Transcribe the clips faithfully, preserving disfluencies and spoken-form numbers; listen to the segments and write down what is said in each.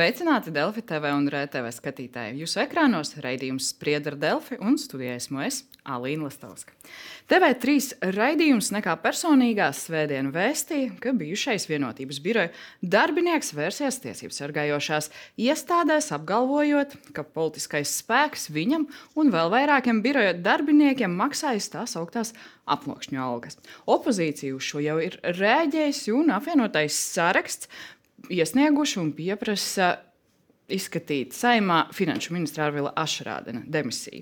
Sveicināti Delfi T V un R T V skatītāji. Jūsu ekrānos raidījums Spriedzi ar Delfi un studijā esmu es, Alīna Lastovska. T V trīs raidījums nekā personīgās svētdienu vēstīja, ka bijušais Vienotības biroja darbinieks vērsies tiesību sargājošās iestādēs, apgalvojot, ka politiskais spēks viņam un vēl vairākiem biroja darbiniekiem maksājas tās augtās aploksņu algas. Opozīcija uz šo jau ir rēģējusi un apvienotais saraksts iesnieguši un pieprasa izskatīt Saeimā finanšu ministra Arvila Ašrādena demisiju.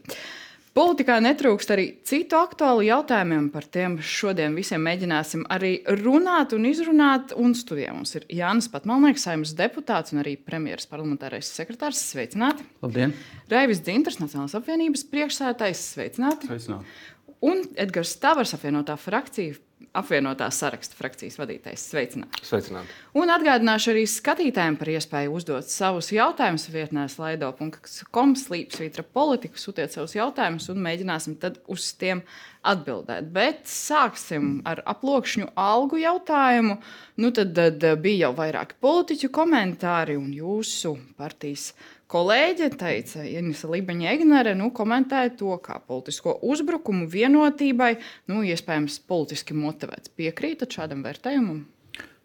Politikā netrūkst arī citu aktuālu jautājumiem, par tiem šodien visiem mēģināsim arī runāt un izrunāt. Un studijā mums ir Jānis Patmalnieks, Saeimas deputāts un arī premjeras parlamentārais sekretārs. Sveicināti! Labdien! Raivis Dzintars, Nacionālās apvienības priekšsēdētājs. Sveicināti! Sveicināti! Un Edgars Tavars, apvienotā frakcija, apvienotā saraksta frakcijas vadītājs. Sveicināti! Sveicināti! Un atgādināšu arī skatītājiem par iespēju uzdot savus jautājumus vietnē slaido punkt com slīpsvītra politika. Sūtiet savus jautājumus un mēģināsim tad uz tiem atbildēt. Bet sāksim ar aploksņu algu jautājumu. Nu tad, tad bija jau vairāki politiķu komentāri un jūsu partijas kolēģe teica, Inese Libeņa-Egnere, nu, komentēja to kā politisko uzbrukumu Vienotībai, nu, iespējams politiski motivēts. Piekrītat šādam vērtējumam?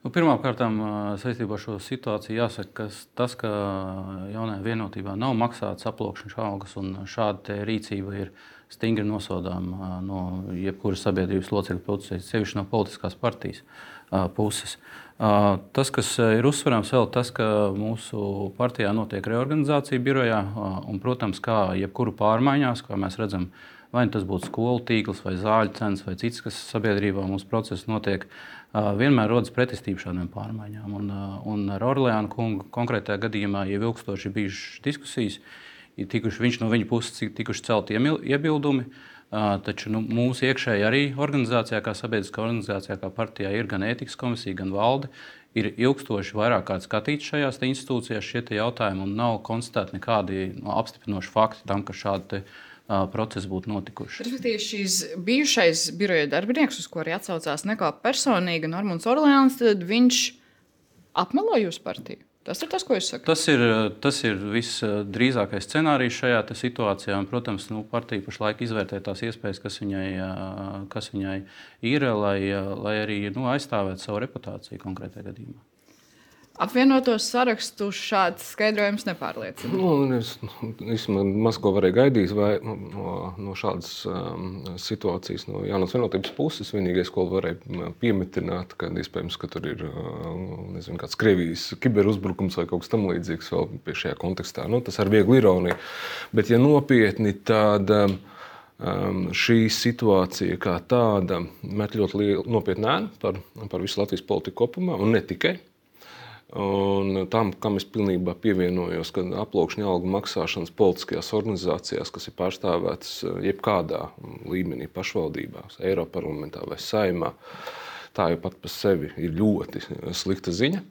Nu, Pirmkārt, saistībā ar šo situāciju jāsaka, ka tas, ka jaunajā Vienotībā nav maksāts aploksņu algas un šāda rīcība ir stingri nosodāma no jebkuras sabiedrības locekļu puses, sevišķi no politiskās partijas puses. Tas, kas ir uzsverams vēl, tas, ka mūsu partijā notiek reorganizācija birojā un, protams, kā jebkuru pārmaiņās, kā mēs redzam, vai tas būtu skolu tīkls vai zāļu cenas vai cits, kas sabiedrībā mūsu process notiek, vienmēr rodas pretestība šādām pārmaiņām. Un, un ar Orleānu kungu konkrētajā gadījumā jau ilgstoši bijušas diskusijas, ir tikuši, viņš no viņa puses tikuši celti iebildumi. Taču nu, mūsu iekšēji arī organizācijā, kā sabiedriskā organizācijā, kā partijā ir gan ētikas komisija, gan valde, ir ilgstoši vairāk kāds skatīts šajās institūcijās šie jautājumi un nav konstatēti nekādi no, apstiprinoši fakti tam, ka šādi te, uh, procesi būtu notikuši. Respektīvi, šīs bijušais biroja darbinieks, uz ko arī atsaucās nekā personīgi Normunds Orleāns, tad viņš apmelo jūsu partiju? Tas ir tas, ko es saku. Tas ir, tas ir visdrīzākais scenārijs šajā situācijā. Un, protams, nu, partija pašlaik izvērtē tās iespējas, kas viņai, kas viņai ir, lai, lai arī nu, aizstāvētu savu reputāciju konkrētajā gadījumā. Apvienotos sarakstu šāds skaidrojums nepārliecina. Nu, es es maz ko varēju gaidīt vai, no, no šādas um, situācijas no Jaunās Vienotības puses. Vienīgais, ko varēju piemetināt, ka iespējams, ka tur ir nezinu, kāds Krievijas kiberuzbrukums vai kaut kas tam līdzīgs vēl pie šajā kontekstā. Nu, tas ar vieglu ironiju. Bet, ja nopietni, tad um, šī situācija kā tāda met ļoti lielu nopietnu ēnu par, par visu Latvijas politiku kopumā un ne tikai. Un tam, kam es pilnībā pievienojos, ka aploksņu algu maksāšanas politiskajās organizācijās, kas ir pārstāvētas jebkādā līmenī pašvaldībās, Eiroparlamentā vai Saeimā, tā jau pat par sevi ir ļoti slikta ziņa.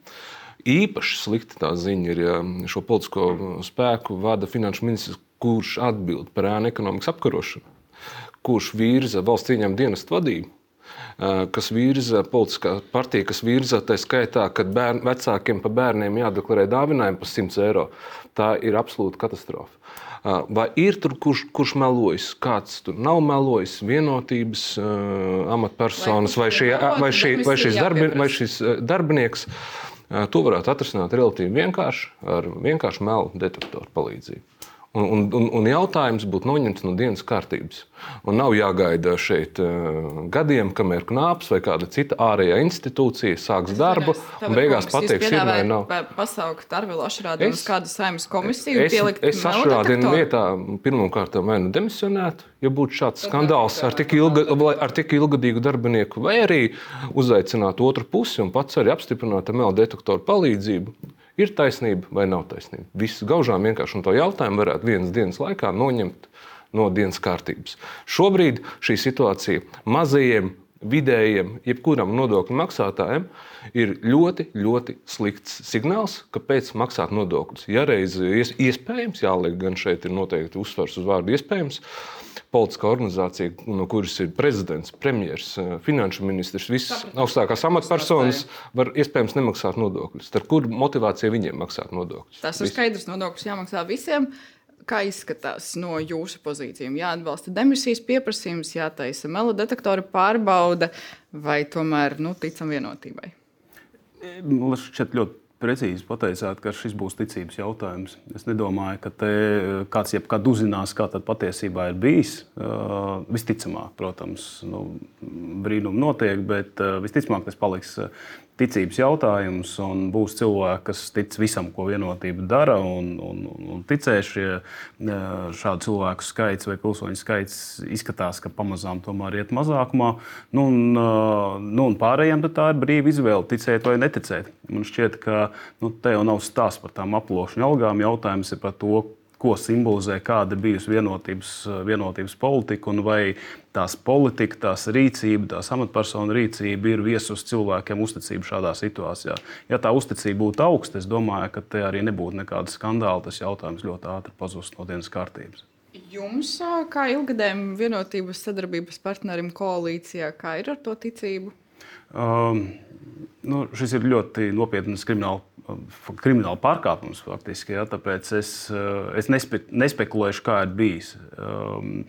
Īpaši slikta tā ziņa ir, ja šo politisko spēku vada finanšu ministrs, kurš atbild par ēnu ekonomikas apkarošanu, kurš virza valsts ieņēmuma dienesta vadību, kas virza politiskā partija, kas virza tā skaitā, kad bērn, vecākiem pa bērniem jādeklarē dāvinājumi par simts eiro. Tā ir absolūta katastrofa. Vai ir tur kurš, kurš melojas? Kāds tur nav melojis? Vienotības uh, amatpersonas vai, šie, vai, šī, vai, šis darbi, vai šis darbinieks? Uh, to varētu atrisināt relatīvi vienkārši ar vienkāršu melu detektoru palīdzību. Un, un, un jautājums būtu noņemts no dienas kārtības. Un nav jāgaida šeit uh, gadiem, kamēr knāps vai kāda cita ārējā institūcija sāks darbu un beigās pateiks, ir vai nav. Pasaukt Arvilu Ašrādenu uz kādu Saeimas komisiju un pielikt es, es Ašrādenu vietā pirmkārt vai nu demisionētu, ja būtu šāds skandāls ar tik, ilga, ar tik ilgadīgu darbinieku, vai arī uzaicināt otru pusi un pats arī apstiprināt ar melu detektoru palīdzību. Ir taisnība vai nav taisnība? Viss gaužām vienkārši un to jautājumu varētu vienas dienas laikā noņemt no dienas kārtības. Šobrīd šī situācija mazajiem vidējiem, jebkuram nodokļu maksātājam ir ļoti, ļoti slikts signāls, kāpēc maksāt nodokļus. Ja reiz iespējams, jāliek gan šeit ir noteikti uzsvars uz vārdu iespējams, politiskā organizācija, no kuras ir prezidents, premjers, finanšu ministrs, visas augstākās amatpersonas var iespējams nemaksāt nodokļus. Ar kur motivācija viņiem maksāt nodokļus? Tas ir skaidrs, nodokļus jāmaksā visiem. Kā izskatās no jūsu pozīcijām? Jāatbalsta demisijas pieprasījums, jātaisa melodetektora pārbaude vai tomēr nu, ticam vienotībai? Man šķiet ļoti precīzi pateicāt, ka šis būs ticības jautājums. Es nedomāju, ka te kāds jebkad uzzinās, kā tad patiesībā ir bijis. Uh, visticamāk, protams, nu, brīnumi notiek, bet uh, visticamāk tas paliks ticības jautājums un būs cilvēki, kas tic visam, ko vienotība dara un, un, un ticēs. Šie, šādu cilvēku skaits vai pilsoņu skaits izskatās, ka pamazām tomēr iet mazākumā. Nu, un, nu, un pārējiem tā ir brīva izvēle ticēt vai neticēt. Man šķiet, ka nu, te jau nav stāsts par tām aplošņu algām. Jautājums ir par to, ko simbolizē, kāda bijusi vienotības, vienotības politika un vai tās politika, tās rīcība, tās amatpersonu rīcība ir viesus cilvēkiem uzticību šādā situācijā. Ja tā uzticība būtu augsta, es domāju, ka te arī nebūtu nekāda skandāla. Tas jautājums ļoti ātri pazust no dienas kārtības. Jums, kā ilgadējiem vienotības sadarbības partnerim koalīcijā, kā ir ar to ticību? Um, nu, šis ir ļoti nopietns krimināla, krimināla pārkāpums faktiski, ja, tāpēc es, es nespe, nespekulēšu, kā ir bijis. Um,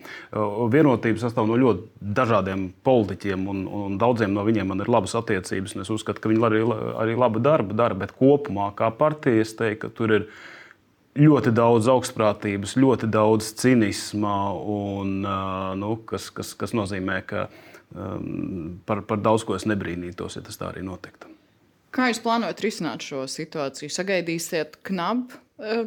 vienotība sastāv no ļoti dažādiem politiķiem, un, un daudziem no viņiem man ir labas attiecības, un es uzskatu, ka viņi arī, arī labu darbu dara, bet kopumā kā partija es teiktu, ka tur ir ļoti daudz augstprātības, ļoti daudz cinisma, un, nu, kas, kas, kas nozīmē, ka um, par, par daudz ko es nebrīnītos, ja tas tā arī notiktu. Kā jūs plānojat risināt šo situāciju? Sagaidīsiet knabu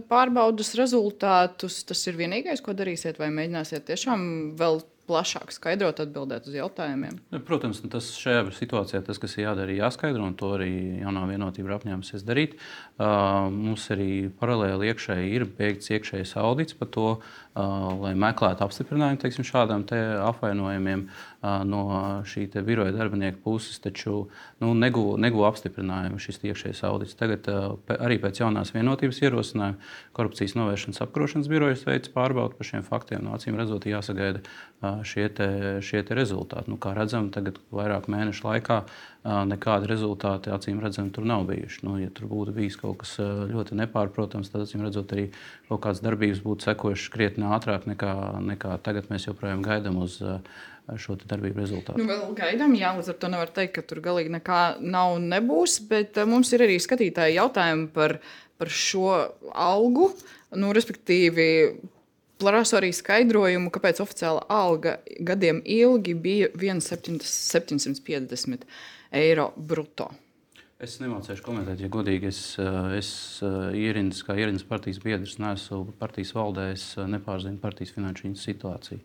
pārbaudas rezultātus? Tas ir vienīgais, ko darīsiet, vai mēģināsiet tiešām vēl plašāk skaidrot, atbildēt uz jautājumiem? Protams, tas šajā situācijā, tas, kas ir jādara, ir jāskaidro, un to arī jaunā vienotība ir apņēmusies darīt. Uh, mums arī paralēli iekšēji ir beigts iekšējais audits par to, uh, lai meklētu apstiprinājumu teiksim, šādām te apvainojumiem uh, no šī te biroja darbinieku puses, taču nu, neguva neguv apstiprinājumu šis iekšējais audits. Tagad uh, arī pēc jaunās vienotības ierosinājuma korupcijas novēršanas apkarošanas birojas veids pārbaudu par šiem faktiem. No acīm redzot, jāsagaida uh, šie te, šie te rezultāti. Nu, kā redzam, tagad vairāk mēnešu laikā nekādi rezultāti acīm redzami tur nav bijuši. Nu, ja tur būtu bijis kaut kas ļoti nepārprotams, tad acīm redzot arī kaut kādas darbības būtu sekojušas krietni ātrāk nekā, nekā tagad mēs joprojām gaidām uz šo darbību rezultātu. Nu, vēl gaidām, jā, līdz ar to nevar teikt, ka tur galīgi nekā nav un nebūs, bet mums ir arī skatītāji jautājumi par, par šo algu, nu, respektīvi plasu arī skaidrojumu, kāpēc oficiāla alga gadiem ilgi bija septiņsimt piecdesmit eiro bruto. Es nemācēšu komentēt, ja godīgi. Es, es ierindas, kā ierindas partijas biedrs, neesmu partijas valdē, es nepārzinu partijas finanšu situāciju.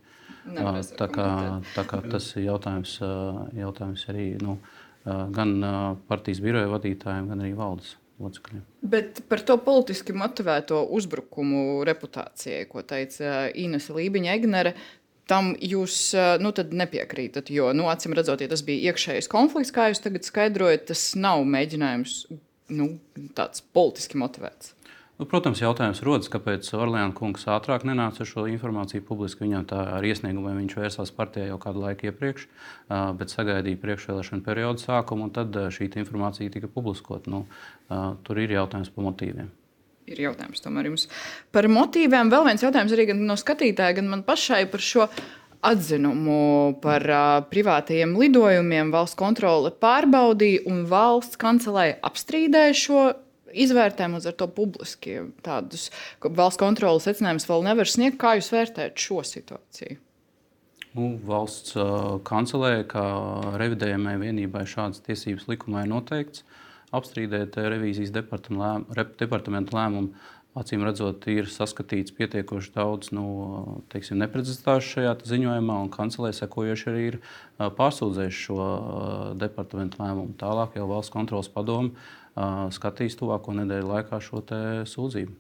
Tā kā, tā kā tas ir jautājums, jautājums arī nu, gan partijas biroja vadītājiem, gan arī valdes locekļiem. Bet par to politiski motivēto uzbrukumu reputācijai, ko teica Inese Lībiņa-Egnere, tam jūs nu, nepiekrītat, jo, nu, acīm redzot, ja tas bija iekšējais konflikts, kā jūs tagad skaidrojat, tas nav mēģinājums nu, tāds politiski motivēts. Nu, protams, jautājums rodas, kāpēc Orleāna kungs ātrāk nenāca ar šo informāciju publiski. Viņam tā ar iesniegumiem viņš vērsās partijā jau kādu laiku iepriekš, bet sagaidīja priekšvēlēšanu periodu sākumu, un tad šī informācija tika publiskot. Nu, tur ir jautājums par motīviem. Ir jautājums tomēr jums par motīviem. Vēl viens jautājums arī gan no skatītāja, gan man pašai par šo atzinumu par uh, privātajiem lidojumiem. Valsts kontrole pārbaudīja un valsts kancelēja apstrīdēja šo izvērtējumu, uz ar to publiski tādus valsts kontroles secinājumus vēl nevar sniegt. Kā jūs vērtējat šo situāciju? Nu, valsts uh, kancelē, kā revidējamai vienībai šādas tiesības likumā ir noteikts. Apstrīdēt revīzijas departamenta lēmumu, acīm redzot, ir saskatīts pietiekoši daudz nu, teiksim, neprecizitāšu šajā ziņojumā, un kancelē sekojoši arī ir pārsūdzējuši šo departamenta lēmumu. Tālāk jau valsts kontroles padome skatīs tuvāko nedēļu laikā šo te sūdzību.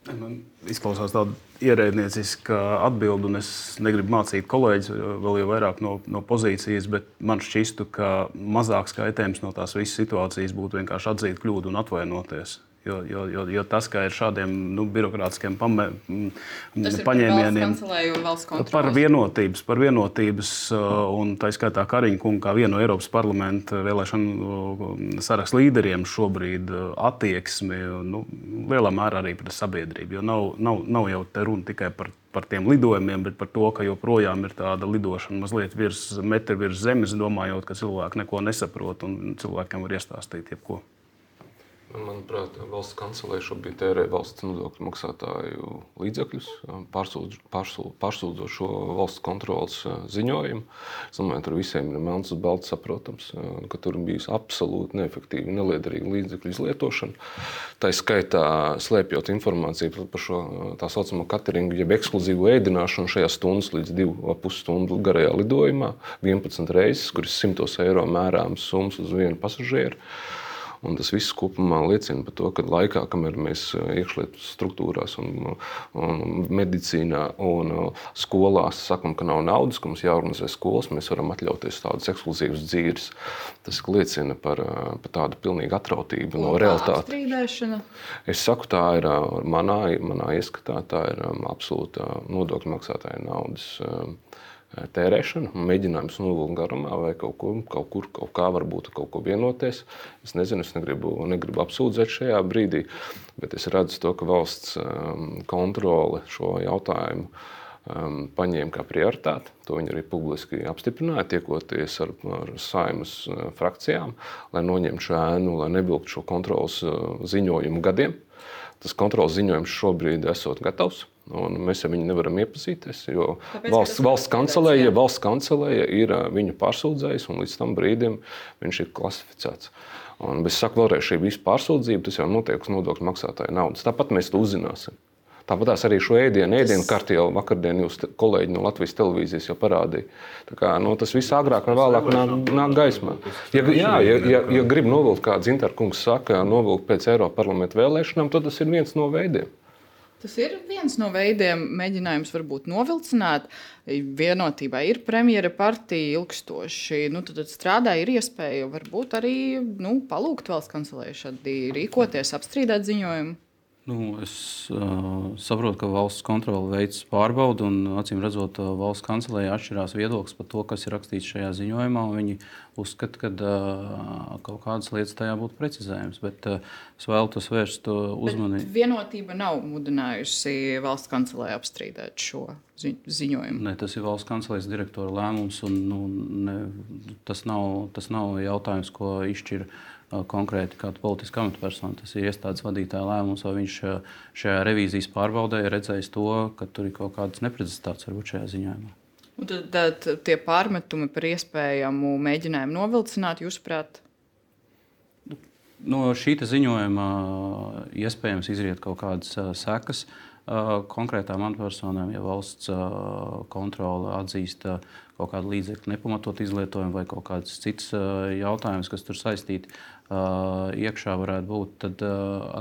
Man izklausās tāda ierēdnieciska atbilde, un es negribu mācīt kolēģis vēl jau vairāk no, no pozīcijas, bet man šķistu, ka mazāks kaitējums no tās visas situācijas būtu vienkārši atzīt kļūdu un atvainoties. Jo, jo, jo, jo tas, ka ir šādiem nu, birokrātiskiem pamē, paņēmieniem par vienotības, par vienotības un tā skaitā Kariņa kungu kā vienu no Eiropas parlamenta vēlēšanu sarakstu līderiem šobrīd attieksmi nu, lielā mērā arī pret sabiedrību. Jo nav, nav, nav jau te runa tikai par, par tiem lidojumiem, bet par to, ka joprojām ir tāda lidošana mazliet virs metri virs zemes, domājot, ka cilvēki neko nesaprot un cilvēkiem var iestāstīt jebko. Manuprāt, valsts kancelē šobrīd tērē valsts nodokļu maksātāju līdzekļus, pārsūdzot šo valsts kontrolas ziņojumu. Es domāju, tur visiem ir melns uz balts saprotams, ka tur bijusi absolūti neefektīva, neliederīga līdzekļu izlietošana. Tā skaitā slēpjot informāciju par šo tā saucamo cateringu, jeb ekskluzīvu ēdināšanu šajā stundas līdz divu pus stundu garajā lidojumā, vienpadsmit reizes, kuras simtos eiro mērāmas summas uz vienu pasažieru. Un tas viss kopumā liecina par to, ka laikā, kamēr mēs iekšlietu struktūrās un, un medicīnā un skolās sakam, ka nav naudas, ka mums jāorganizē skolas, mēs varam atļauties tādas ekskluzīvas dzīves. Tas liecina par, par tādu pilnīgu atrautību no realitātes. Es saku, tā ir manā, manā ieskatā, tā ir absolūta nodokļu maksātāja naudas tērēšana, mēģinājums novilkt garumā vai kaut kur, kaut kur, kaut kā varbūt kaut ko vienoties. Es nezinu, es negribu, negribu apsūdzēt šajā brīdī, bet es redzu to, ka valsts kontrole šo jautājumu paņēma kā prioritāti. To viņi arī publiski apstiprināja, tiekoties ar, ar Saeimas frakcijām, lai noņemtu šo ēnu, lai nevilktu šo kontroles ziņojumu gadiem. Tas kontroles ziņojums šobrīd esot gatavs. Un mēs ar viņu nevaram iepazīties, jo Kāpēc, valsts, valsts, kancelēja, valsts kancelēja ir viņu pārsūdzējis, un līdz tam brīdim viņš ir klasificēts. Un, bet es saku vēlreiz, šī visa pārsūdzība, tas jau notiek uz nodokļu maksātāju naudas. Tāpat mēs to uzzināsim. Tāpat arī šo ēdienu, ēdienu tas... karti jau vakardien jūs kolēģi no Latvijas televīzijas jau parādīja. Tā kā, nu, tas viss agrāk un vēlāk nāk, nāk gaismā. Ja, jā, ja, ja, ja grib novilkt, kā Dzintar kungs saka, novilkt pēc Eiropas parlamenta vēlēšanām, tad tas ir viens no veidiem. Tas ir viens no veidiem, mēģinājums varbūt novilcināt. Vienotībā ir premjera partija ilgstoši. Nu, tad, tad strādā, ir iespēja varbūt arī nu, palūgt valsts kancelē šādi rīkoties, apstrīdēt ziņojumu. Nu, es uh, saprotu, ka valsts kontrole veids pārbaudu, un acīm redzot, valsts kancelēja atšķirās viedoklis par to, kas ir rakstīts šajā ziņojumā. Viņi uzskata, ka uh, kaut kādas lietas tajā būtu precizējums, bet uh, es vēlos vērst uzmanību. Bet vienotība nav mudinājusi valsts kancelēju apstrīdēt šo zi ziņojumu. Ne, tas ir valsts kancelējas direktora lēmums, un nu, ne, tas, nav, tas nav jautājums, ko izšķir konkrēti kāda politiska amatpersona. Tas ir iestādes vadītāja lēmums, vai viņš šajā revīzijas pārbaudē ir redzējis to, ka tur ir kaut kādas neprecizitātes varbūt šajā ziņojumā. Un tad, tad tie pārmetumi par iespējamu mēģinājumu novilcināt, jūsuprāt? No šī ziņojuma iespējams izriet kaut kādas sekas konkrētām amatpersonām, ja valsts kontrole atzīst kaut kādu līdzekļu nepamatot izlietojumu vai kaut kādas citas jautājumas, kas tur saistīti iekšā varētu būt, tad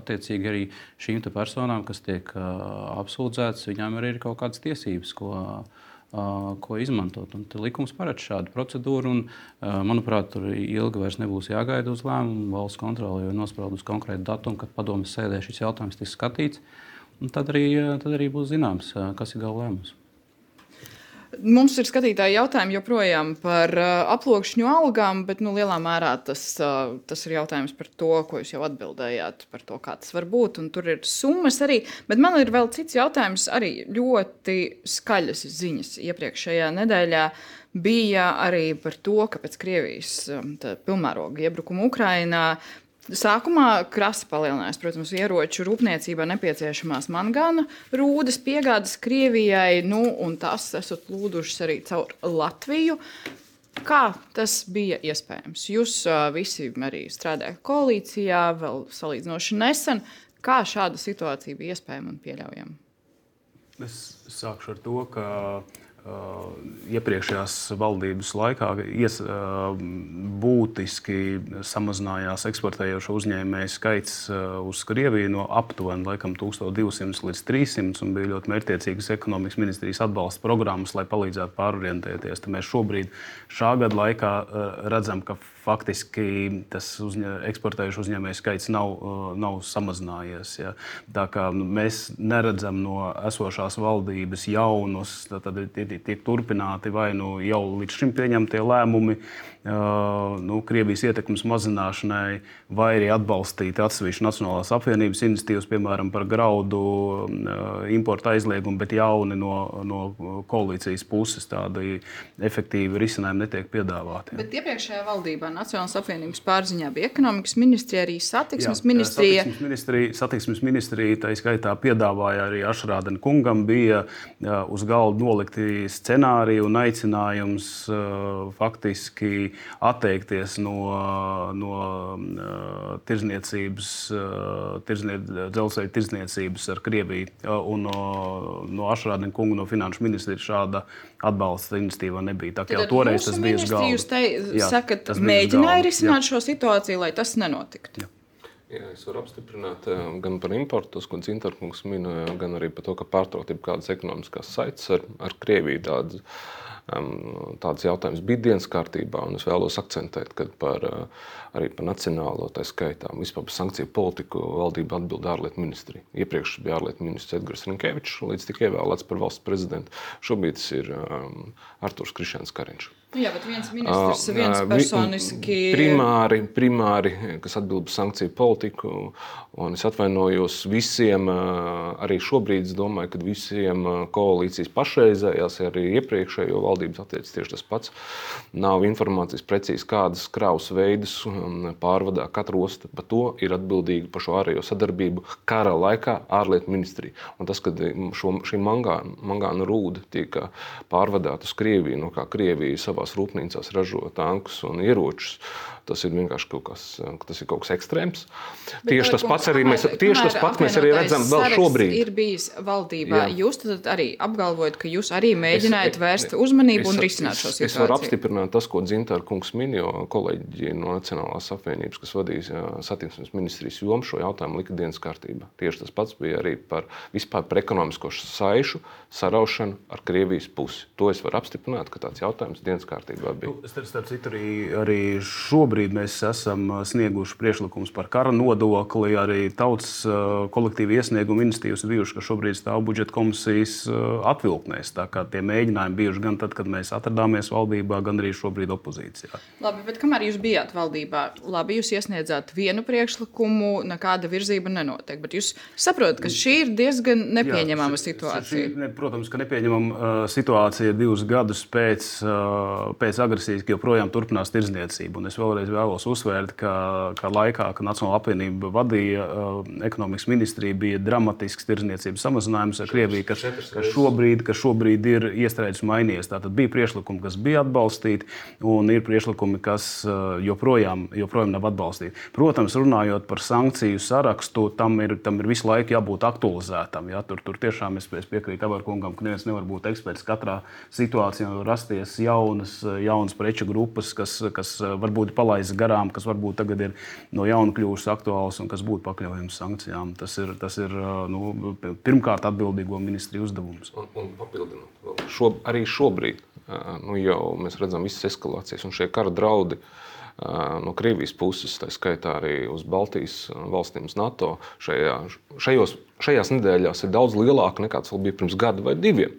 attiecīgi arī šīm te personām, kas tiek apsūdzētas, viņām arī ir kaut kādas tiesības, ko, ko izmantot. Un likums paredz šādu procedūru, un, manuprāt, tur ilgi vairs nebūs jāgaida uz lēmumu. Valsts kontrole jau ir nospraudus konkrētu datumu, kad padomes sēdē šis jautājums tiks skatīts. Un tad arī, tad arī būs zināms, kas ir gala lēmums. Mums ir skatītāji jautājumi joprojām par aploksņu algām, bet nu, lielā mērā tas, tas ir jautājums par to, ko jūs jau atbildējāt, par to, kā tas var būt. Un tur ir summas arī, bet man ir vēl cits jautājums, arī ļoti skaļas ziņas. Iepriekšējā nedēļā bija arī par to, ka pēc Krievijas pilnmēroga iebrukuma Ukrainā sākumā krasi palielinājās, protams, ieroču rūpniecībā nepieciešamās mangāna rūdas piegādes Krievijai, nu, un tās esat lūdušas arī caur Latviju. Kā tas bija iespējams? Jūs uh, visi arī strādājat koalīcijā, vēl salīdzinoši nesen. Kā šāda situācija bija iespējama un pieļaujama? Es sākšu ar to, ka iepriekšējās valdības laikā ies, būtiski samazinājās eksportējošo uzņēmēju skaits uz Krieviju no aptuveni laikam tūkstoš divsimt līdz trīssimts, un bija ļoti mērķtiecīgas ekonomikas ministrijas atbalsta programmas, lai palīdzētu pārorientēties. Tad mēs šobrīd šā gada laikā redzam, ka faktiski tas uzņē, eksportējušu uzņēmēju skaits nav, nav samazinājies. Ja. Tā kā mēs neredzam no esošās valdības jaunus, tad tiek turpināti vai nu jau līdz šim pieņemtie lēmumi uh, nu, Krievijas ietekmes mazināšanai, vai arī atbalstīt atsevišķu Nacionālās apvienības iniciatīvas, piemēram, par graudu uh, importa aizliegumu, bet jauni no, no koalīcijas puses tādi efektīvi risinājumi netiek piedāvāti. Ja. Bet iepriekšējā valdībā Nacionālās apvienības pārziņā bija ekonomikas ministrija, arī satiksmes Jā, ministrija. Satiksmes ministrija, satiksmes ministrija tā skaitā piedāvāja arī Ašrādena kungam, bija uz galda nolikti scenāriji un aicinājums uh, faktiski atteikties no, no uh, tirzniecības, uh, tirznie, dzelzceļa tirzniecības ar Krieviju. Uh, un uh, no Ašrādena kunga, no finanšu ministrijas šāda atbalsta iniciatīva nebija. Tā kā jau toreiz tas bija uz galda. Jūs te Jā, sakat, mēģināja risināt Jā. šo situāciju, lai tas nenotiktu? Jā. Jā, es varu apstiprināt gan par importu, ko Zintarkungs minēja, gan arī par to, ka pārtraukt kādas ekonomiskās saites ar, ar Krieviju. Tādas, um, tādas jautājumas bija dienas kārtībā, un es vēlos akcentēt, ka par, arī par nacionālo, tā skaitā, vispār par sankciju politiku valdība atbild ārlietu ministrija. Iepriekš bija ārlietu ministrs Edgars Rinkevičs, līdz tika ievēlēts par valsts prezidentu. Šobrīd tas ir um, Arturs Krišjāns Kariņš. Jā, bet viens ministrs, viens personiski... Primāri, primāri, kas atbild par sankciju politiku, un es atvainojos visiem, arī šobrīd es domāju, ka visiem koalīcijas pašreizējās, arī iepriekšējo valdības attiec tieši tas pats. Nav informācijas precīzi, kādas kravas veidus pārvadā katra osta. Par to ir atbildīga par šo ārējo sadarbību kara laikā ārlietu ministrija. Un tas, kad šo, šī mangāna, mangāna rūda tiek pārvadāta uz Krieviju, no kā Krievija savās rūpnīcās ražo tankus un ieročus, tas ir vienkārši kaut kas, tas ir kaut kas ekstrēms. Bet tieši tas pats arī mēs, tieši tas pats mēs arī redzam vēl šobrīd. Ir bijis valdībā. Jā. Jūs tad arī apgalvojat, ka jūs arī mēģinājat es, vērst uzmanību es, un risināt šo situāciju. Es varu apstiprināt tas, ko Zintarkungs min, jo kolēģi no Nacionālās apvienības, kas vadīja satiksmes ministrijas jomu, šo jautājumu lika dienas kārtībā. Tieši tas pats bija arī par vispār par ekonomisko saišu saraušanu ar Krievijas pusi. To es varu apstiprināt, ka tāds jautājums dienas kārtībā bija. Nu, starp citu arī, arī šobrīd mēs esam snieguši priekšlikumus par kara nodokli, arī tautas kolektīvi iesniegumu iniciatīvas bijuši, ka šobrīd stāv budžeta komisijas atvilknēs. Tā kā tie mēģinājumi bijuši gan tad, kad mēs atradāmies valdībā, gan arī šobrīd opozīcijā. Labi, bet kamēr jūs bijāt valdībā, labi, jūs iesniedzāt vienu priekšlikumu, nekāda virzība nenotiek, bet jūs saprotat, ka šī ir diezgan nepieņemama Jā, situācija. Šī, ne, protams, ka nepieņemama uh, situācija divus gadus pēc, uh, pēc agresijas, ka joprojām turpinās tirdzniecība. Un es vēlreiz vēlos uzsvērt, ka, ka laikā, kad Nacionālā apvienība vadīja uh, ekonomikas ministrija, bija dramatisks tirdzniecības samazinājums ar Krieviju, kas, kas, šobrīd, kas šobrīd ir iestrēdzis un mainījies. Tātad bija priekšlikumi, kas bija atbalstīti, un ir priekšlikumi, kas uh, joprojām, joprojām nav atbalstīti. Protams, runājot par sankciju sarakstu, tam ir, tam ir visu laiku jābūt aktualizētam. Ja? Tur, tur tiešām es, es piekrītu Avarkungam, ka neviens nevar būt eksperts katrā situācijā, var rasties jaunas, jaunas preču grupas, kas, kas varbūt ir palaistas garām, kas varbūt tagad ir no jauna kļuvušas aktuāls un kas būtu pakļaujams sankcijām. Tas ir, tas ir nu, pirmkārt atbildīgo ministriju uzdevums. Un, un papildinot, šo, arī šobrīd nu, jau mēs redzam visas eskalācijas un šie kara draudi no Krievijas puses, tā skaitā arī uz Baltijas valstīm, uz NATO, šajā, šajos, šajās nedēļās ir daudz lielāka nekā tas vēl bija pirms gada vai diviem.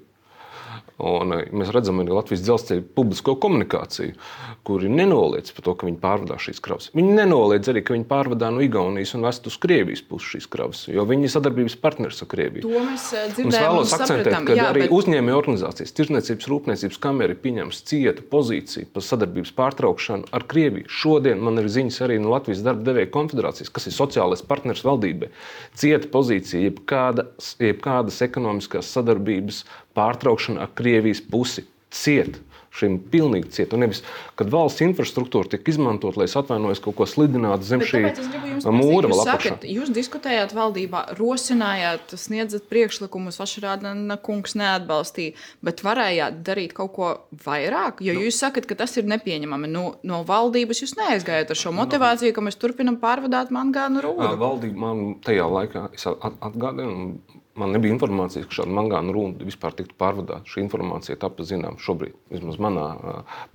Un mēs redzam arī Latvijas dzelzceļa publisko komunikāciju, kuri nenoliedz par to, ka viņi pārvadā šīs kravas. Viņi nenoliedz arī, ka viņi pārvadā no Igaunijas un vest uz Krievijas pusi šīs kravas, jo viņi ir sadarbības partners ar Krieviju. To mēs dzirdējām un sapratām. Ka arī bet... uzņēmēju organizācijas, Tirdzniecības rūpniecības kamera ir pieņēmusi cieta pozīciju par sadarbības pārtraukšanu ar Krieviju. Šodien man ir ziņas arī no Latvijas darba devēju konfederācijas, kas ir sociālais partners valdībai. Cieta pozīcija, jebkādas, jebkādas ekonomiskās sadarbības pārtraukšana ar Krievijas pusi ciet. Šim pilnīgi ciet. Un nevis, kad valsts infrastruktūra tiek izmantot, lai es atvainojos kaut ko slidinātu zem šī mūra vēl apakšā. Jūs diskutējāt valdībā, rosinājāt, sniedzat priekšlikumus, Vašarādna kungs neatbalstīja, bet varējāt darīt kaut ko vairāk? Jo jūs sakat, ka tas ir nepieņemami. No, no valdības jūs neaizgājat ar šo motivāciju, ka mēs turpinam pārvadāt mangānu rūdu. Valdība man tajā laikā atgādina, man nebija informācijas, ka šāda mangānu rūda vispār tiktu pārvadāta. Šī informācija tapa zinām šobrīd, vismaz manā,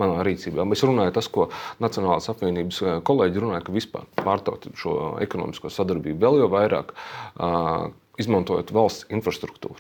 manā rīcībā. Es runāju tas, ko Nacionālās apvienības kolēģi runāja, ka vispār pārtaut šo ekonomisko sadarbību vēl jau vairāk, izmantojot valsts infrastruktūru.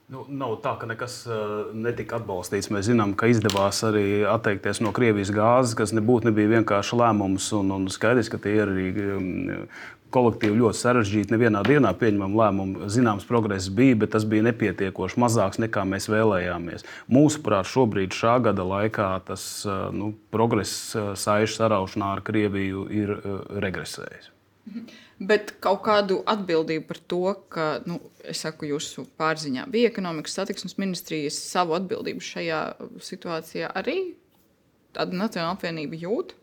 Nu, nav tā, ka nekas uh, netika atbalstīts. Mēs zinām, ka izdevās arī atteikties no Krievijas gāzes, kas nebūtu nebija vienkārši lēmums. Un, un skaidrs, ka tie ir arī um, kolektīvi ļoti sarežģīti. Nevienā dienā pieņemam lēmumu. Zināms, progress bija, bet tas bija nepietiekoši mazāks nekā mēs vēlējāmies. Mūsuprāt, šobrīd šā gada laikā tas uh, nu, progress uh, saišu saraušanā ar Krieviju ir uh, regresējis. Bet kaut kādu atbildību par to, ka, nu, es saku, jūsu pārziņā bija ekonomikas satiksmes ministrijas savu atbildību šajā situācijā arī tāda Nacionāla apvienība jūt?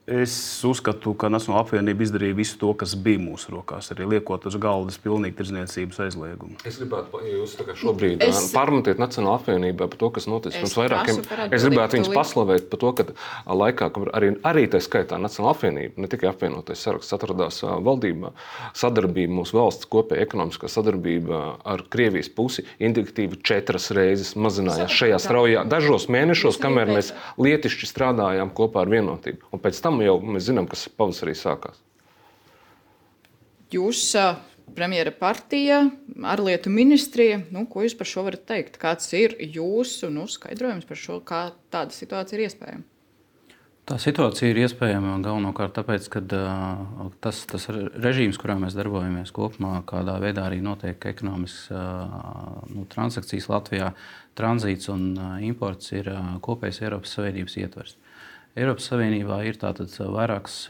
Es uzskatu, ka Nacionāla apvienība izdarīja visu to, kas bija mūsu rokās, arī liekot uz galdas pilnīgi tirdzniecības aizliegumu. Es gribētu, ja jūs šobrīd es... pārmetiet Nacionāla apvienībā par to, kas noticis pirms vairākiem. Es gribētu viņus paslavēt par to, ka laikā, kad arī, arī tā skaitā Nacionāla apvienība, ne tikai apvienotais saraksts atradās valdībā, sadarbība, mūsu valsts kopēja ekonomiskā sadarbība ar Krievijas pusi indikatīvi četras reizes mazinājās šajā straujā dažos mēnešos, kamēr mēs lietišķi strādājām kopā ar vienotību. Un pēc tam jau mēs zinām, kas pavasarī sākās. Jūs, premjera partija, ārlietu ministrija, nu, ko jūs par šo varat teikt? Kāds ir jūsu nu, skaidrojums par šo, kā tāda situācija ir iespējama? Tā situācija ir iespējama galvenokārt tāpēc, ka uh, tas, tas režīms, kurā mēs darbojamies kopumā, kādā veidā arī notiek ekonomiskas uh, nu, transakcijas Latvijā, tranzīts un uh, imports ir uh, kopējs Eiropas Savienības ietvers. Eiropas Savienībā ir tātad vairākas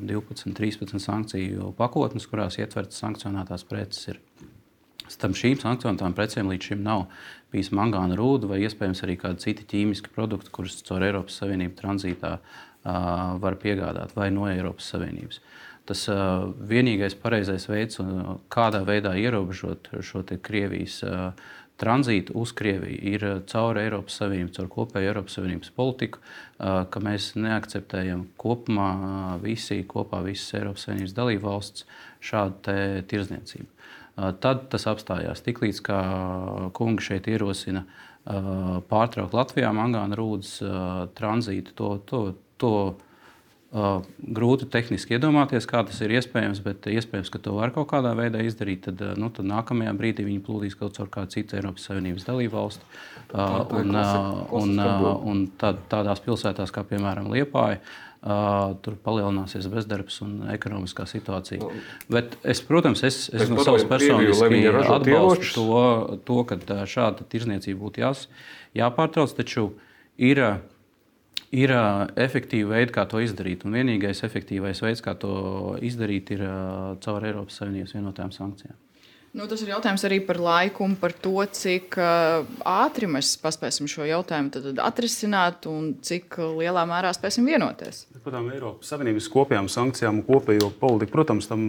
divpadsmit, trīspadsmit sankciju pakotnes, kurās ietvertas sankcionētās preces. Ir. Starp šīm sankcionētām precēm līdz šim nav bijis mangāna rūda vai iespējams arī kādi citi ķīmiski produkti, kurus caur Eiropas Savienību tranzītā uh, var piegādāt vai no Eiropas Savienības. Tas uh, vienīgais pareizais veids, uh, kādā veidā ierobežot šo te Krievijas uh, tranzītu uz Krieviju, ir caur Eiropas Savienību, caur kopēju Eiropas Savienības politiku, ka mēs neakceptējam kopumā visi, kopā visas Eiropas Savienības dalību valsts šādu te tirdzniecību. Tad tas apstājās. Tiklīdz kā kungi šeit ierosina pārtraukt Latvijā mangāna rūdas tranzītu, to, to, to Uh, grūti tehniski iedomāties, kā tas ir iespējams, bet iespējams, ka to var kaut kādā veidā izdarīt, tad, nu, tad nākamajā brīdī viņi plūdīs kaut caur kādu citu Eiropas Savienības dalību valsti. Uh, un uh, un, uh, un tad, tādās pilsētās kā, piemēram, Liepāja, uh, tur palielināsies bezdarbs un ekonomiskā situācija. No. Bet es, protams, es, es no savas personiski atbalstu to, to, ka šāda tirdzniecība būtu jās, jāpārtrauc, taču ir Ir uh, efektīvi veidi, kā to izdarīt. Un vienīgais efektīvais veids, kā to izdarīt, ir uh, caur Eiropas Savienības vienotajām sankcijām. Nu, tas ir jautājums arī par laiku un par to, cik uh, ātri mēs paspēsim šo jautājumu tad, tad atrisināt un cik lielā mērā spēsim vienoties. Protams, Eiropas Savienības kopējām sankcijām un kopējo politiku, protams, tam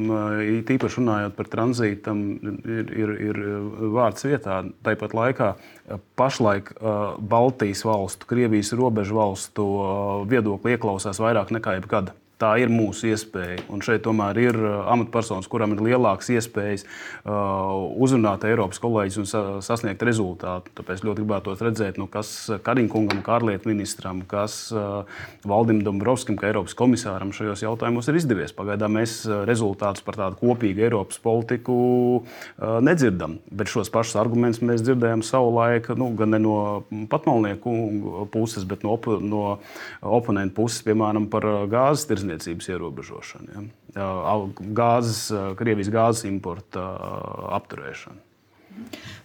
īpaši runājot par tranzītu, tam ir, ir, ir vārds vietā. Tāpat laikā pašlaik uh, Baltijas valstu, Krievijas robežu valstu uh, viedokli ieklausās vairāk nekā jebkad. Tā ir mūsu iespēja. Un šeit tomēr ir amatpersonas, kurām ir lielākas iespējas uh, uzrunāt Eiropas kolēģis un sa sasniegt rezultātu. Tāpēc ļoti gribētos redzēt, nu, kas Kariņkungam, kā ārlietu ministram, kas uh, Valdim Dombrovskim, kā Eiropas komisāram šajos jautājumos ir izdevies. Pagaidām mēs rezultātus par tādu kopīgu Eiropas politiku uh, nedzirdam. Bet šos pašus argumentus mēs dzirdējām savulaik, nu, gan ne no patmalnieku puses, bet no, op no oponentu puses, piemēram, par gāzes tirdzniecību. Ierobežošana, ja? Gāzes, Krievijas gāzes importa apturēšana.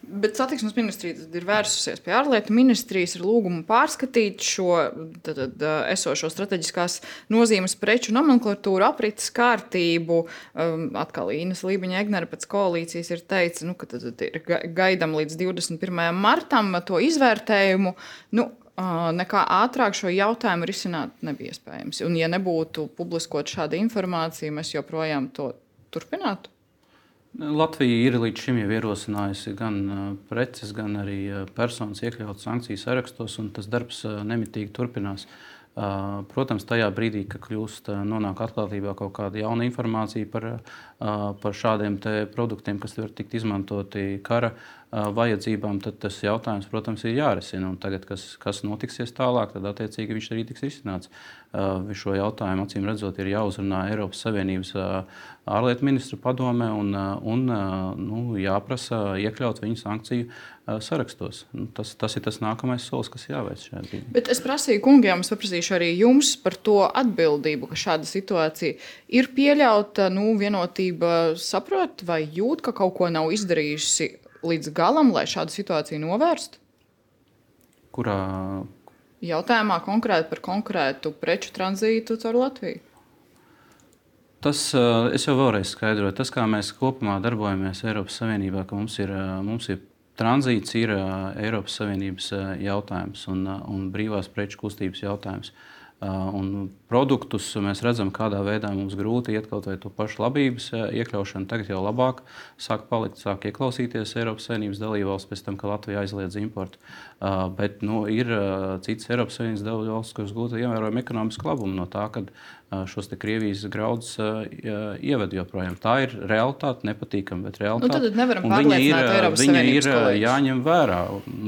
Bet satiksmes ministrija ir vērsusies pie ārlietu ministrijas ar lūgumu pārskatīt šo tad, tad, esošo strateģiskās nozīmes preču nomenklatūru, aprites kārtību. Um, atkal Ines Lībiņa-Egnere pēc koalīcijas ir teica, nu, ka tad, tad ir gaidam līdz divdesmit pirmajam martam to izvērtējumu. Nu, nekā ātrāk šo jautājumu risināt nebija iespējams. Un, ja nebūtu publiskot šāda informācija, mēs joprojām to turpinātu? Latvija ir līdz šim jau ierosinājusi gan preces, gan arī personas iekļaut sankciju sarakstos, un tas darbs nemitīgi turpinās. Protams, tajā brīdī, kad kļūst, nonāk atklātībā kaut kāda jauna informācija par, par šādiem produktiem, kas var tikt izmantoti kara vajadzībām, tad tas jautājums, protams, ir jārisina. Un tagad, kas, kas notiksies tālāk, tad attiecīgi viņš arī tiks risināts. Šo jautājumu, acīm redzot, ir jāuzrunā Eiropas Savienības ārlietu ministru padomē un, un nu, jāprasa iekļaut viņu sankciju sarakstos. Tas, tas ir tas nākamais solis, kas jāveic šajā brīdī. Bet es prasīju kungiem, es paprasīšu arī jums par to atbildību, ka šāda situācija ir pieļauta. Nu, vienotība saprot vai jūt, ka kaut ko nav izdarījusi līdz galam, lai šādu situāciju novērstu? Kurā? Jautājumā konkrēti par konkrētu preču tranzītu caur Latviju. Tas, es jau vēlreiz skaidroju, tas, kā mēs kopumā darbojamies Eiropas Savienībā, ka mums ir, mums ir tranzīts, ir Eiropas Savienības jautājums un, un brīvās preču kustības jautājums. Un produktus mēs redzam, kādā veidā mums grūti iet kaut vai to pašu labības iekļaušanu. Tagad jau labāk sāk palikt, sāk ieklausīties Eiropas Savienības dalībvalsts pēc tam, ka Latvija aizliedz importu. Bet nu, ir citas Eiropas Savienības dalībvalsts, kuras gūta ievērojama ekonomiska labuma no tā, ka šos te Krievijas graudus ieved joprojām. Tā ir realitāte, nepatīkama, bet realitāte. Nu, tad nevaram pārliecināt Eiropas Savienības kolēģus. Viņa ir jāņem vērā.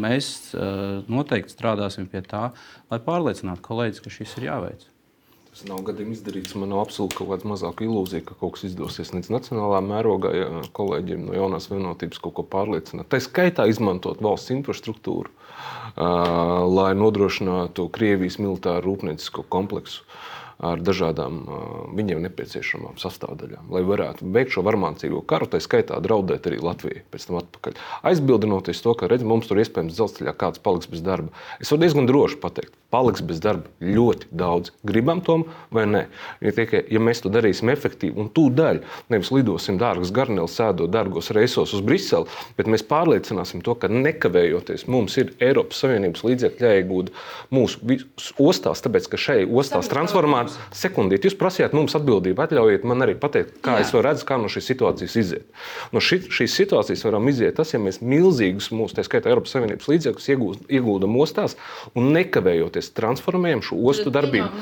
Mēs noteikti strādāsim pie tā, lai pārliecinātu kolēģis, ka šis ir jāveic. Tas nav gadījumi izdarīts. Man nav absolūti kaut kāda mazāka ilūzija, ka kaut kas izdosies nec nacionālā mērogā, ja kolēģiem no jaunās vienotības kaut ko pārliecināt. Tā skaitā izmantot valsts infrastruktūru, lai nodrošinātu Krievijas militāru rūpniecisko kompleksu ar dažādām viņiem nepieciešamām sastāvdaļām, lai varētu beigt šo varmācīgo karu, tā skaitā draudēt arī Latvijai pēc tam atpakaļ. Aizbildinoties to, ka redz, mums tur iespējams dzelzceļā kāds paliks bez darba. Es varu diezgan droši pateikt, paliks bez darba ļoti daudz. Gribam tom vai nē? Ja, tikai, ja mēs to darīsim efektīvi un tūdaļ, nevis lidosim dārgas garneles, sēdot dārgos reisos uz Briseli, bet mēs pārliecināsim to, ka nekavējoties mums ir Eiropas Savienības līdzekļi jāiegūda mūsu ostās, tāpēc, ka šai ostās transformācija sekundīt, jūs prasījāt mums atbildību, atļaujiet man arī pateikt, kā Jā. Es varu redzēt, kā no šīs situācijas iziet. No ši, šīs situācijas varam iziet tas, ja mēs milzīgus mūsu, tā skaitā Eiropas Savienības līdzekļus iegūst, iegūdam ostās un nekavējoties transformējam šo ostu darbību.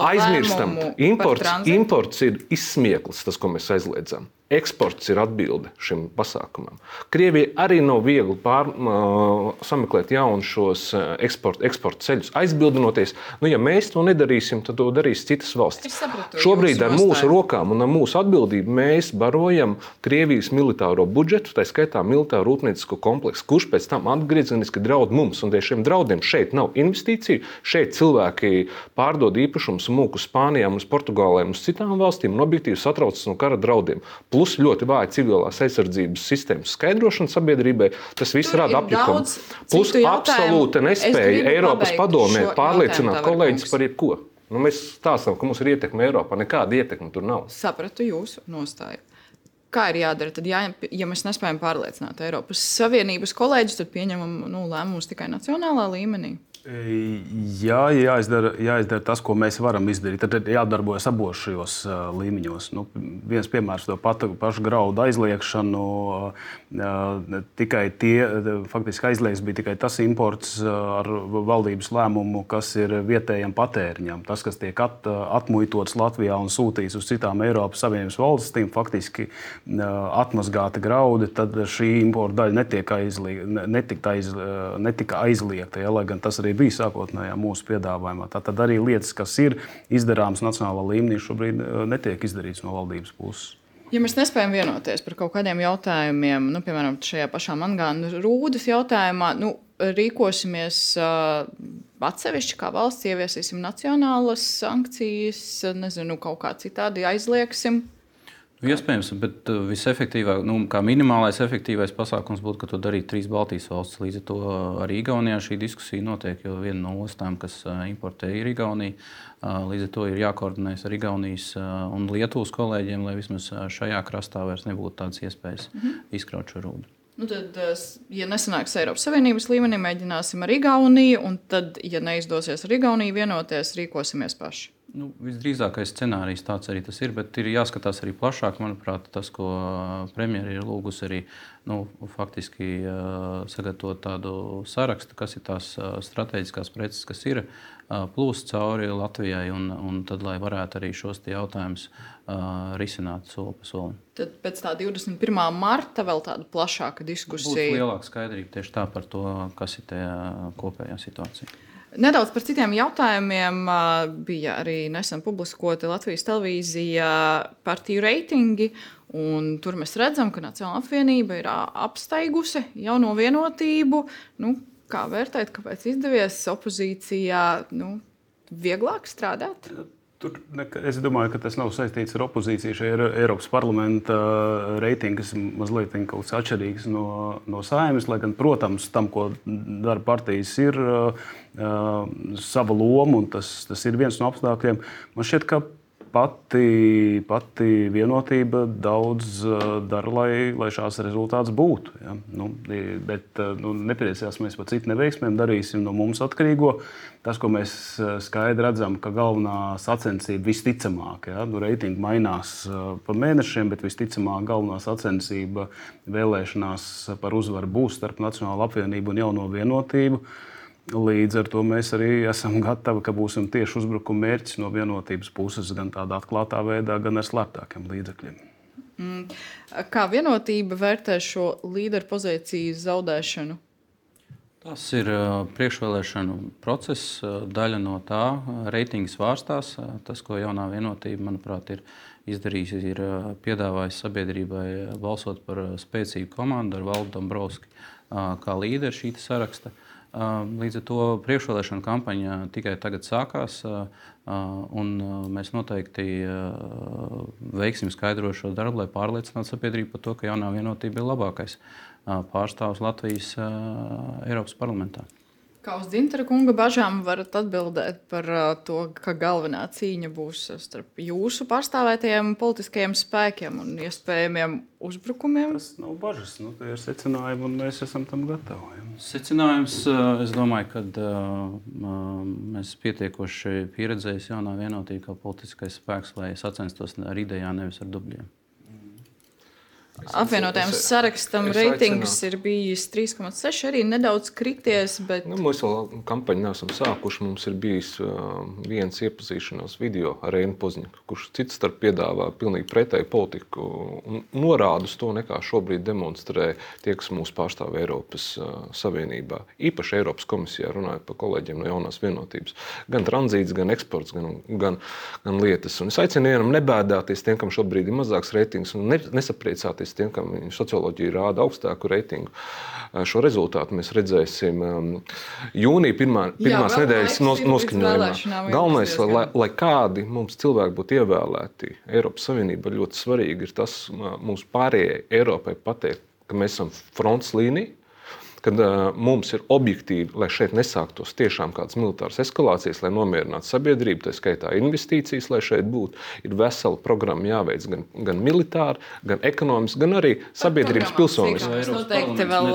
Aizmirstam, imports, imports ir izsmieklis, tas, ko mēs aizliedzam. Eksports ir atbilde šim pasākumam. Krievija arī nav viegli pār, uh, sameklēt jaunus šos eksporta eksport ceļus, aizbildinoties. Nu, ja mēs to nedarīsim, tad to darīs citas valstis. Šobrīd ar mūsu rokām un ar mūsu atbildību mēs barojam Krievijas militāro budžetu, tā skaitā militāro rūpniecisko kompleksu, kurš pēc tam atgriezeniski draud mums. Un dēļ šiem draudiem šeit nav investīciju, šeit cilvēki pārdod īpašumus mūku Spānijām, uz Portugālēm, uz citām valstīm un objektīvi satraucas no kara draudiem. Plus ļoti vāja civilās aizsardzības sistēmas skaidrošana sabiedrībai, tas viss rada apjukumu. Plus absolūta nespēja Eiropas padomē pārliecināt kolēģis par jebko. Nu, mēs stāstam, ka mums ir ietekme Eiropā, nekāda ietekme tur nav. Sapratu jūsu nostāju. Kā ir jādara? Tad, ja, ja mēs nespējam pārliecināt Eiropas Savienības kolēģus, tad pieņemam nu, lēmumus tikai nacionālā līmenī. Jā, jāizdara, jāizdara tas, ko mēs varam izdarīt. Tad jādarbojas abos šajos uh, līmeņos. Nu, viens piemērs to pat, pašu graudu aizliekšanu. Uh, tikai tie, faktiski aizliegts bija tikai tas imports uh, ar valdības lēmumu, kas ir vietējiem patēriņam. Tas, kas tiek at, atmuitots Latvijā un sūtīts uz citām Eiropas Savienības valstīm, faktiski uh, atmazgāta graudi, tad šī importa daļa netiek aizliegta, netika, aiz, netika aizliegta, ja, lai gan tas arī bija sākotnējā mūsu piedāvājumā. Tātad arī lietas, kas ir izdarāmas nacionālā līmenī, šobrīd netiek izdarītas no valdības puses. Ja mēs nespējam vienoties par kaut kādiem jautājumiem, nu, piemēram, šajā pašā mangāna rūdas jautājumā, nu, rīkosimies uh, atsevišķi kā valsts, ieviesīsim nacionālas sankcijas, nezinu, kaut kā citādi aizliegsim. Iespējams, bet visefektīvāk, nu, kā minimālais efektīvais pasākums būtu, ka to darītu trīs Baltijas valstis. Līdz ar to arī Igaunijā šī diskusija notiek, jo viena no ostām, kas importē, ir Igaunija. Līdz ar to ir jākoordinējas ar Igaunijas un Lietuvas kolēģiem, lai vismaz šajā krastā vairs nebūtu tādas iespējas mm-hmm. izkraut šo rūdu. Nu tad, ja nesanāks Eiropas Savienības līmenī, mēģināsim ar Igauniju, un tad, ja neizdosies ar Igauniju vienoties, rīkosimies paši. Nu, visdrīzākais scenārijs tāds arī tas ir, bet ir jāskatās arī plašāk. Manuprāt, tas, ko premjeri ir lūgusi arī nu, faktiski sagatavot tādu sarakstu, kas ir tās strateģiskās preces, kas ir plūst cauri Latvijai, un, un tad, lai varētu arī šos jautājumus risināt soli pa solim. Tad pēc tā divdesmit pirmā marta vēl tāda plašāka diskusija. Būs lielāka skaidrība tieši tā par to, kas ir tā kopējā situācija. Nedaudz par citiem jautājumiem. Bija arī nesen publiskoti Latvijas televīzijā partiju reitingi, un tur mēs redzam, ka Nacionālā apvienība ir apsteigusi jauno vienotību. Nu, kā vērtēt, kāpēc izdevies opozīcijā nu, vieglāk strādāt? Tur, es domāju, ka tas nav saistīts ar opozīciju. Šie ir Eiropas parlamenta reitingi, kas ir mazliet kaut kas atšķirīgs no, no Saeimas. Lai gan, protams, tam, ko dara partijas, ir uh, sava loma, un tas, tas ir viens no apstākļiem. Man šķiet, ka pati, pati vienotība daudz uh, dara, lai, lai šāds rezultāts būtu. Ja? Nu, bet nu, nepriecāsimies par citu neveiksmēm, darīsim no mums atkarīgo. Tas, ko mēs skaidri redzam, ka galvenā sacensība visticamāk, ja, nu, reitingi mainās pa mēnešiem, bet visticamāk galvenā sacensība vēlēšanās par uzvaru būs starp Nacionālo apvienību un Jauno vienotību. Līdz ar to mēs arī esam gatavi, ka būsim tieši uzbrukuma mērķis no vienotības puses, gan tādā atklātā veidā, gan ar slēptākiem līdzekļiem. Mm. Kā vienotība vērtē šo līderu pozīciju zaudēšanu? Tas ir priekšvēlēšanu process, daļa no tā. Reitingi svārstās. Tas, ko Jaunā vienotība, manuprāt, ir izdarījusi, ir piedāvājis sabiedrībai balsot par spēcīgu komandu ar Valdu Dombrovski kā līderi šī saraksta. Līdz ar to priekšvēlēšanu kampaņa tikai tagad sākās, un mēs noteikti veiksim skaidrot šo darbu, lai pārliecinātu sabiedrību par to, ka Jaunā vienotība ir labākais pārstāvs Latvijas Eiropas parlamentā. Kā uz Dzintara kunga bažām varat atbildēt par to, ka galvenā cīņa būs starp jūsu pārstāvētajiem politiskajiem spēkiem un iespējamiem uzbrukumiem? Tas nav bažas, nu, tie ir secinājumi, un mēs esam tam gatavi. Secinājums, es domāju, ka mēs pietiekoši pieredzējuši Jaunā vienotība kā politiskais spēks, lai sacenstos ar idejām, nevis ar dubļiem. Apvienotajam sarakstam reitings ir bijis trīs komats seši, arī nedaudz krities, bet... Nu, mēs vēl kampaņu neesam sākuši. Mums ir bijis uh, viens iepazīšanās video ar Reinu Pozņiku, kurš cits starp piedāvā pilnīgi pretēju politiku un norāda uz to, nekā šobrīd demonstrē tie, kas mūs pārstāv Eiropas uh, Savienībā. Īpaši Eiropas komisijā runājot par kolēģiem no Jaunās vienotības. Gan tranzīts, gan eksports, gan, gan, gan lietas. Un es aicinu vienam nebēdāties tiem, kam šobrīd ir mazāks reitings, un ne, nesapriecāties tiem, kam socioloģija rāda augstāku reitingu. Šo rezultātu mēs redzēsim jūnija pirmā, pirmās Jā, nedēļas noskaņojumā. Galvenais, lai, lai kādi mums cilvēki būtu ievēlēti Eiropas Savienība, ļoti svarīgi ir tas mums pārējai Eiropai pateikt, ka mēs esam fronts līnija, kad uh, mums ir objektīvi, lai šeit nesāktos tiešām kādas militāras eskalācijas, lai nomierinātu sabiedrību, tā skaitā investīcijas, lai šeit būtu, ir vesela programma jāveic gan, gan militāri, gan ekonomiski, gan arī sabiedrības pilsoniski. Mēs noteikti vēl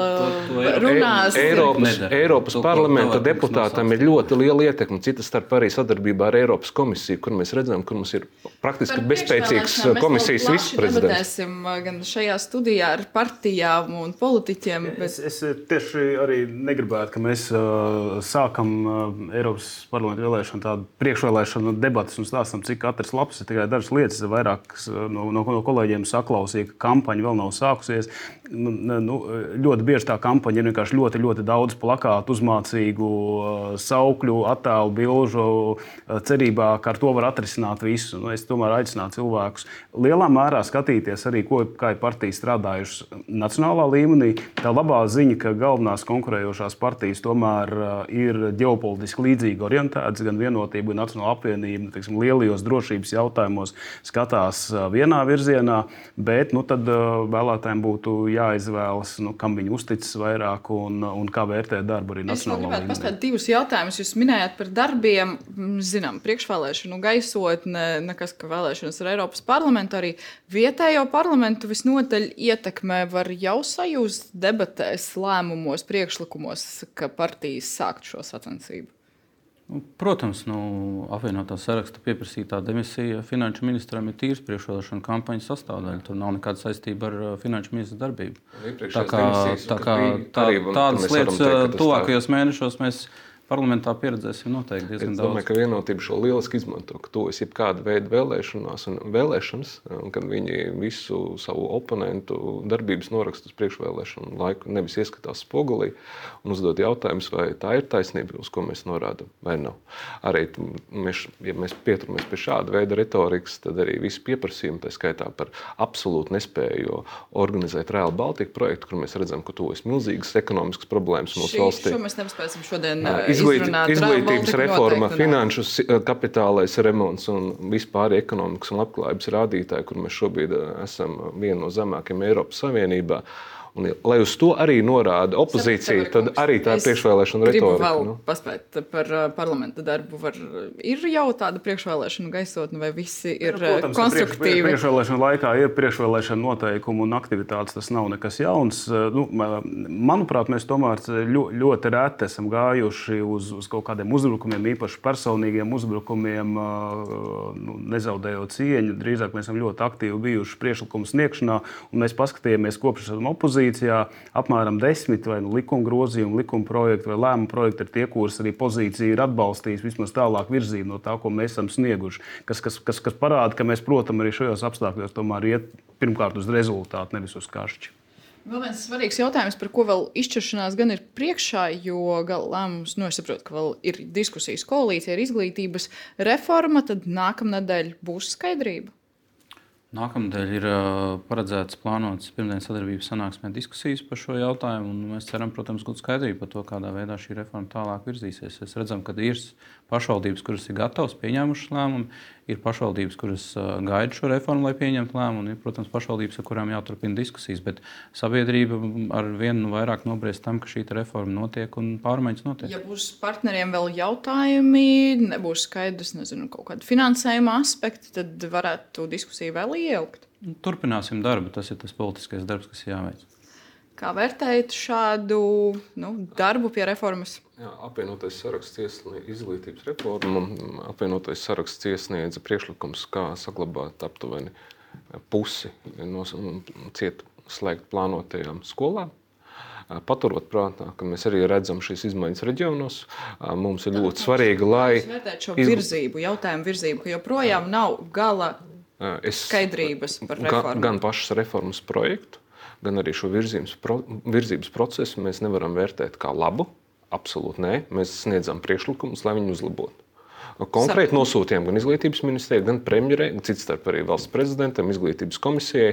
runāsim. Eiropas, Eiropas parlamenta deputātam ir ļoti liela ietekme, citas starp arī sadarbībā ar Eiropas komisiju, kur mēs redzam, kur mums ir praktiski bezspēcīgs komisijas viceprezidents. Mēs debatēsim gan šajā studijā ar partijām un politiķiem. Bet... Es, es tieši arī negribētu, ka mēs uh, sākam uh, Eiropas parlamenta vēlēšanu tādu priekšvēlēšanu debatas un stāstam, cik katrs labs ir tikai dažas lietas. Vairākas no, no, no kolēģiem saklausīja, ka kampaņa vēl nav sākusies. Nu, nu, ļoti bieži tā kampaņa ir vienkārši ļoti, ļoti daudz plakātu, uzmācīgu uh, saukļu, attēlu, bilžu, uh, cerībā, ka ar to var atrisināt visu. Nu, es tomēr aicinātu cilvēkus lielā mērā skatīties arī, ko, kā ir partijas strādājušas nacionālā līmenī. Tā labā ziņa, ka galvenās konkurējošās partijas tomēr ir ģeopolitiski līdzīgi orientētas, gan Vienotība, gan Nacionāla apvienība, teiksim, lielajos drošības jautājumos skatās vienā virzienā, bet nu, tad vēlētājiem būtu jāizvēlas, nu, kam viņi uzticas vairāk un, un kā vērtēt darbu arī nacionālā līmenī. Es gribētu paspēt divus jautājumus. Jūs minējāt par darbiem, zinām, priekšvēlēšanu gaisotne, nekas, ka vēlēšanas ar Eiropas parlamentu, arī vietējo parlamentu visnotaļ ietekmē. Var jau sajust debatēs, lēmumos, priekšlikumos, ka partijas sākt šo sacensību? Protams, nu, apvienotā saraksta pieprasītā demisija finanšu ministram ir tīrs priekšvēlēšanu kampaņas sastāvdaļa. Tur nav nekāda saistība ar finanšu ministra darbību. Tā kā, tā kā tā, tādas lietas tuvākajos mēnešos mēs parlamentā pieredzēsim noteikti diezgan daudz. Es domāju, ka Vienotība šo lieliski izmanto, ka tuvojas jebkāda veida vēlēšanās un vēlēšanas, un kad viņi visu savu oponentu darbības norakstu uz priekšvēlēšanu laiku nevis ieskatās spogulī un uzdod jautājumus, vai tā ir taisnība, uz ko mēs norādam, vai nav. Arī, mēs, ja mēs pieturamies pie šāda veida retorikas, tad arī visi pieprasījumi, tā skaitā par absolūtu nespēju organizēt Rail Baltica projektu, kur mēs redzam, ka tuvojas milzīgas ekonomiskas problēmas mūsu valstī. Šo mēs nepaspēsim šodien Izglīt, izglītības reforma, finanšu kapitālais remonts un vispār ekonomikas un labklājības rādītāji, kur mēs šobrīd esam viena no zemākajiem Eiropas Savienībā. Un, lai uz to arī norāda opozīcija, tad arī tā ir priekšvēlēšana retorika. Gribu vēl nu? paspēt par parlamenta darbu. Var, ir jau tāda priekšvēlēšana gaisotne, vai visi ir ja, protams, konstruktīvi? Priekš, priekšvēlēšana laikā ir priekšvēlēšana noteikumi un aktivitātes. Tas nav nekas jauns. Nu, manuprāt, mēs tomēr ļoti reti esam gājuši uz, uz kaut kādiem uzbrukumiem, īpaši personīgiem uzbrukumiem, nu, nezaudējot cieņu. Drīzāk mēs esam ļoti aktīvi bijuši priekšlikumu sniegšanā, un mēs paskatījāmies kopš esam opozīcijā. Apmēram desmit vai nu likuma grozījumi, likuma projekti vai lēmuma projekti ir tie, kuras arī pozīcija ir atbalstījusi vismaz tālāk virzību no tā, ko mēs esam snieguši. Kas, kas, kas, kas parāda, ka mēs, protams, arī šajos apstākļos tomēr iet pirmkārt uz rezultātu, nevis uz kašķi. Vēl viens svarīgs jautājums, par ko vēl izšķiršanās gan ir priekšā, jo gala lēmums, nu, es saprotu, ka vēl ir diskusijas koalīcija ar izglītības reforma, tad nākamnedēļ būs skaidrība. Nākamnedēļ ir paredzēts plānotas pirmdienas sadarbības sanāksmē diskusijas par šo jautājumu, un mēs ceram, protams, gūt skaidrību par to, kādā veidā šī reforma tālāk virzīsies. Mēs redzam, ka ir pašvaldības, kuras ir gatavas pieņēmušas lēmumu, ir pašvaldības, kuras gaida šo reformu, lai pieņemtu lēmumu, un ir, protams, pašvaldības, ar kurām jāturpina diskusijas, bet sabiedrība ar vienu vairāk nobriest tam, ka šī reforma notiek un pārmaiņas notiek. Ja būs partneriem vēl jautājumi, nebūs skaidrs, nezinu, kaut kādi finansējuma aspekti, tad varētu diskusiju vēl ieilgt. Turpināsim darbu, tas ir tas politiskais darbs, kas jāveic. Kā vērtējat šādu nu, darbu pie reformas? Jā, apvienotais saraksts iesniedza izglītības reformu. Apvienotais saraksts iesniedza priekšlikums, kā saglabāt aptuveni pusi no cietu slēgt plānotajām skolām. Paturot prātā, ka mēs arī redzam šīs izmaiņas reģionos, mums ir ļoti svarīgi, lai... Jūs vērtējat šo virzību, jautājumu virzību, ka joprojām nav gala skaidrības par reformu? Gan, gan pašas reformas projektu, gan arī šo virzības, pro, virzības procesu mēs nevaram vērtēt kā labu. Absolūti nē. Mēs sniedzam priekšlikumus, lai viņu uzlabotu. Konkrēti nosūtījām gan izglītības ministrijai, gan premjerei, cits starp arī valsts prezidentam, izglītības komisijai,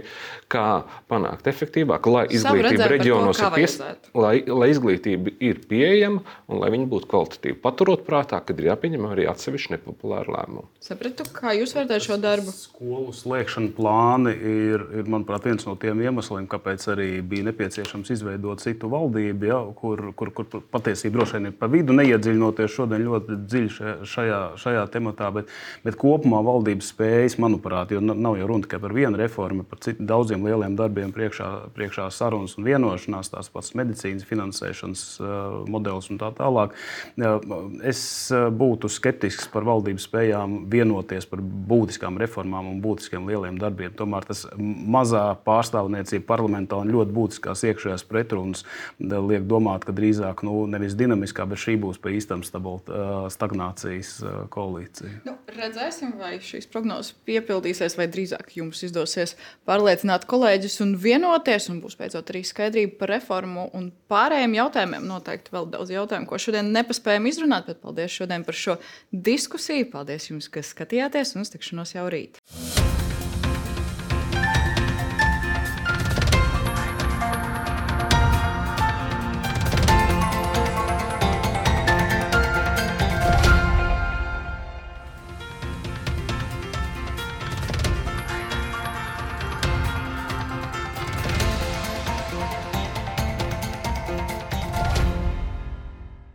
kā panākt efektīvāk, lai izglītība reģionos ir pies... lai, lai izglītība ir pieejama un lai viņa būtu kvalitatīva. Paturot prātā, kad ir jāpieņem arī atsevišķi nepopulāri lēmumi. Sapratu, kā jūs vērtējat šo darbu? Skolu slēgšana plāni ir, ir, manuprāt, viens no tiem iemesliem, kāpēc arī bija nepieciešams izveidot citu valdību, ja, kur, kur, kur patiesība droši vien ir pa vidu, neiedziļinoties šodien ļoti dziļi šajā šajā tematā, bet, bet kopumā valdības spējas, manuprāt, jo nav jau runa tikai par vienu reformu, par citu, daudziem lieliem darbiem priekšā, priekšā sarunas un vienošanās, tās pats medicīnas finansēšanas uh, modelis un tā tālāk. Uh, es būtu skeptisks par valdības spējām vienoties par būtiskām reformām un būtiskiem lieliem darbiem. Tomēr tas mazā pārstāvniecība parlamentā un ļoti būtiskās iekšējās pretrunas liek domāt, ka drīzāk nu, nevis dinamiskā, bet šī būs pie īstam stagnācijas koalīcija. Nu, redzēsim, vai šīs prognozes piepildīsies, vai drīzāk jums izdosies pārliecināt kolēģus un vienoties, un būs beidzot arī skaidrība par reformu un pārējiem jautājumiem. Noteikti vēl daudz jautājumu, ko šodien nepaspējam izrunāt, bet paldies šodien par šo diskusiju. Paldies jums, kas skatījāties, un uz tikšanos jau rīt.